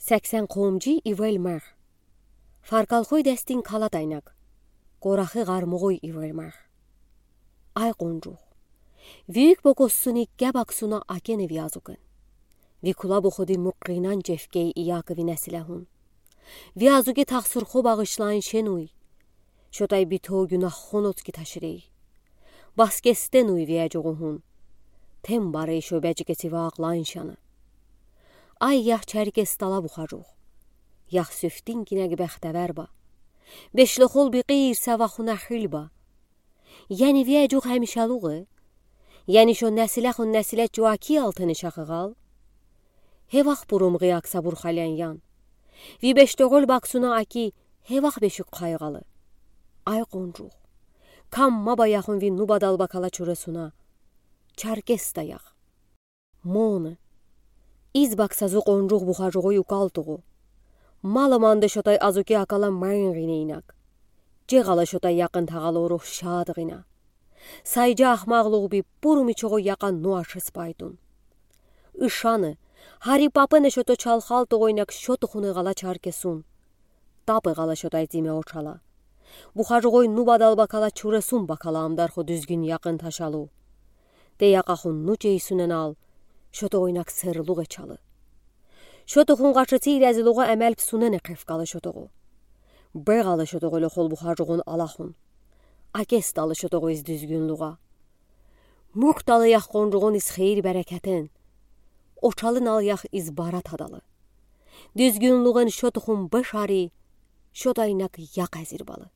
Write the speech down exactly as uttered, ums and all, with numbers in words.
Сексен къомжи ивел мех. Фаркалхой дестин калад айнак. Къорахы гъармугъуй ивел мех. Ай къонжугъ. Ви уьк бокоссуни геб аксуна акене ви азугин. Ви кула бохуди мукъинан жефгей иякви несилехун. Ви азуги тахсурхо багъышлайн шенуй. Шотай битов гюнаххон оцки таширей. Баскестенуй ви эжугъухун. Тем барей шо бежикеси ваакълайн шана. Ай ях Черкес дала бухажугъ. Ях сюфтин гинеги бехтевер ба. Бешлохол бикъи ирса вахуна хил ба. Яни ви эжугъ хемишалугъ? Яни шо несилехун несиле чуаки алтыны шахыгъал? Хевах бурумгъи акса бурхален ян. Ви бештогъол баксуна аки хевах бешик хайгъалы. Ай къонжугъ. Кам ма баяхун ви нуба далбакала чуресуна. Черкес да ях. Моны. Из бакса зу къонжугъ бухажугъуй укалтугъу. Мала манды шотай азуки акала майин гъинейнак. Жегъала шотай якъын тагъалу рух шадгъина. Сайжа ахмагълугъ би буруми чогъу якъа нуашыс байтун. Ишаны, хари папыны шото чалхалтугъуйнак шотухуны гъала Черкесун. Тапы гъала шотай зиме очала. Бухажугъуй нуба далбакала чуресун бакала амдарху дуьзгин якъын ташалу. Те якъахун ну чейсуненал, шотугъуйнак сырлугъ эчалы. Шотухун гъачыци резилугъа эмел псунене кефкалы шотугъу. Бегъалы шотугъу лохол бухажугъун алахун. Акес далы шотугъу из дуьзгюнлугъа. Мук далы ях къонжугъун из хейир берекетин. Очалынал ях из бара тадалы. Дуьзгюнлугъун шотухун бешари, шотайнак якъ эзир балы.